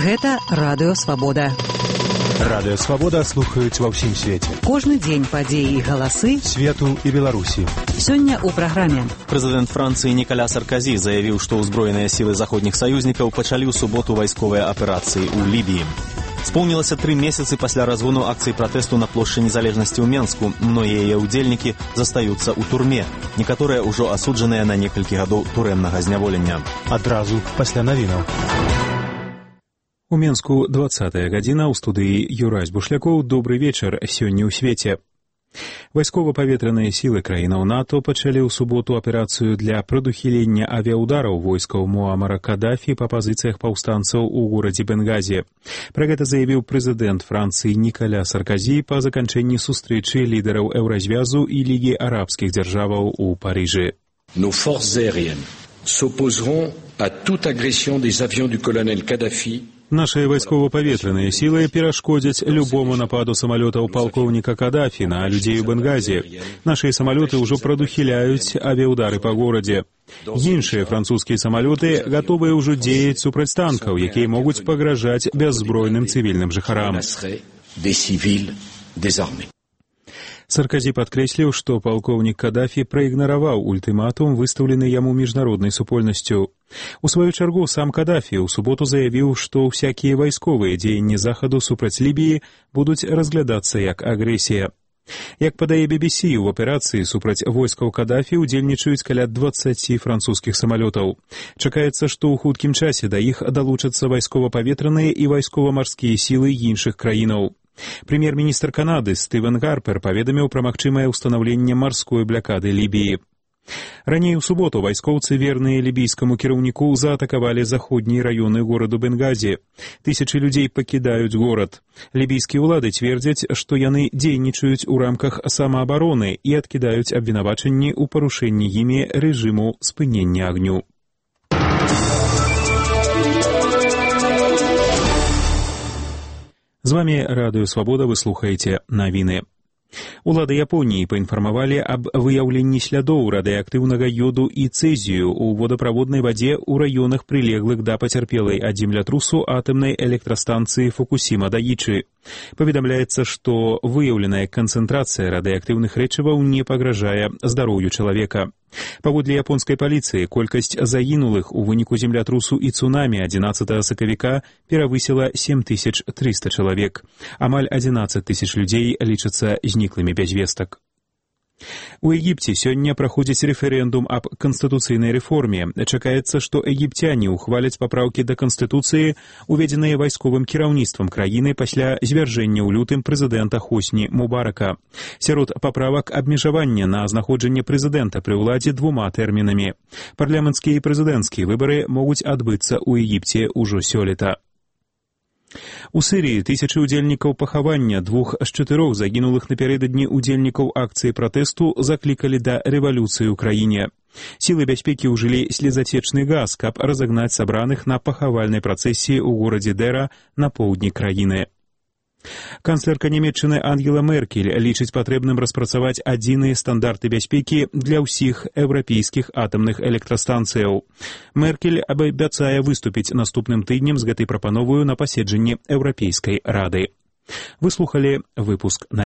Гэта Радыё Свабода. Радыё Свабода слухаюць ва ўсім свеце. Кожны дзень падзеі і галасы свету і Беларусі. Сёння ў праграме. Прэзідэнт Францыі Николя Саркозі заявіў, што ўзброеныя сілы заходніх саюзнікаў пачалі ў суботу вайсковыя аперацыі ў Лібіі. Споўнілася 3 месяцы пасля разгону акцыі пратэсту на плошчы незалежнасці ў Менску. Многія яе ўдзельнікі застаюцца ў турме. Некаторыя ўжо асуджаныя на некалькі гадоў турэмнага зняволення. Адразу пасля навінаў. У Менску 20-я гадзіна, ў студыі Юрась Бушлякоў. Добры вечар сёння ў свеце. Вайскова-паветраныя сілы краінаў НАТО пачалі ў суботу аперацыю для прадухілення авіаудараў войскаў Муамара Кадафі па пазіцыях паўстанцаў у горадзе Бенгази. Пра гэта заявіў прэзідэнт Францыі Николя Саркозі па заканчэнні сустрэчы лідараў Еўразвязу і Лігі арабскіх дзяржаваў у Парыжы. Nos forces aériennes s'opposeront à toute agression des avions du colonel Kadhafi. Нашыя вайскова-паветраныя сілы перашкодзяць любому нападу самалётаў палкоўніка Кадафі на людзей у Бенгази. Нашыя самалёты ўжо прадухіляюць авіаудары па горадзе. Іншыя французскія самалёты гатовыя ўжо дзеяць супраць танкаў, якія могуць пагражаць бяззбройным цывільным жыхарам. Саркозі падкрэсліў, што палкоўнік Кадафі праігнараваў ультыматум, выстаўлены яму міжнароднай супольнасцю. У сваю чаргу сам Кадафі ў суботу заявіў, што ўсякія вайсковыя дзеянні захаду супраць Лібіі будуць разглядацца як агрэсія. Як падае BBC, у аперацыі супраць войскаў Кадафі удзельнічаюць каля 20 французскіх самалётаў. Чакаецца, што ў хуткім часе да іх далучацца вайскова-паветраныя і вайскова-марскія сілы іншых краінаў. Прэм'ер-міністр Канады Стывен Гарпер паведаміў пра магчымае ўстанаўленне марской блякады Лібіі. Раней у суботу вайскоўцы, верныя лібійскаму кіраўніку, заатакавалі заходнія раёны гораду Бенгази. Тысячы людзей пакідаюць горад. Лібійскія ўлады цвердзяць, што яны дзейнічаюць у рамках самаабароны і адкідаюць абвінавачанні ў парушэнні імі рэжыму спынення агню. З вами Радыё Свабода, вы слухаеце навіны. Улады Японіі паінфармавалі аб выяўленні слядоў радыеактыўнага ёду і цэзію ў водаправоднай вадзе ў раёнах, прылеглых да пацярпелай ад землятрусу атамнай электрастанцыі Фукусіма-Даічы. Паведамляецца, што выяўленая канцэнтрацыя радыеактыўных рэчываў не пагражае здароўю чалавека. Паводле японскай паліцыі, колькасць загінулых у выніку землятрусу і цунамі 11 сакавіка перавысіла 7300 чалавек. Амаль 11 тысяч людзей лічацца зніклымі без вестак. У Егіпце сёння праходзіць рэферэндум аб канстытуцыйнай рэформе. Чакаецца, што егіпцяне ухваляць папраўкі да канстытуцыі, уведзеныя вайсковым кіраўніцтвам краіны пасля звяржэння ў лютым прэзідэнта Хосні Мубарака. Сярод паправак абмежавання на знаходжанне прэзідэнта пры ўладзе 2 тэрмінамі. Парламенцкія і прэзідэнцкія выбары могуць адбыцца ў Егіпце ўжо сёлета. У Сірыі тысячы удзельнікаў пахавання 2 з 4 загінулых напярэдадні удзельнікаў акцыі пратэсту заклікалі да рэвалюцыі ў краіне. Сілы бяспекі ўжылі слезацечны газ, каб разагнаць сабраных на пахавальнай працэсіі ў горадзе Дэра на поўдні краіны. Канцлерка Нямецчыны Ангела Меркель лічыць патрэбным распрацаваць адзіныя стандарты бяспекі для ўсіх еўрапейскіх атамных электрастанцыяў. Меркель абяцае выступіць наступным тыднем з гэтай прапановаю на паседжанні Еўрапейскай рады. Вы слухалі выпуск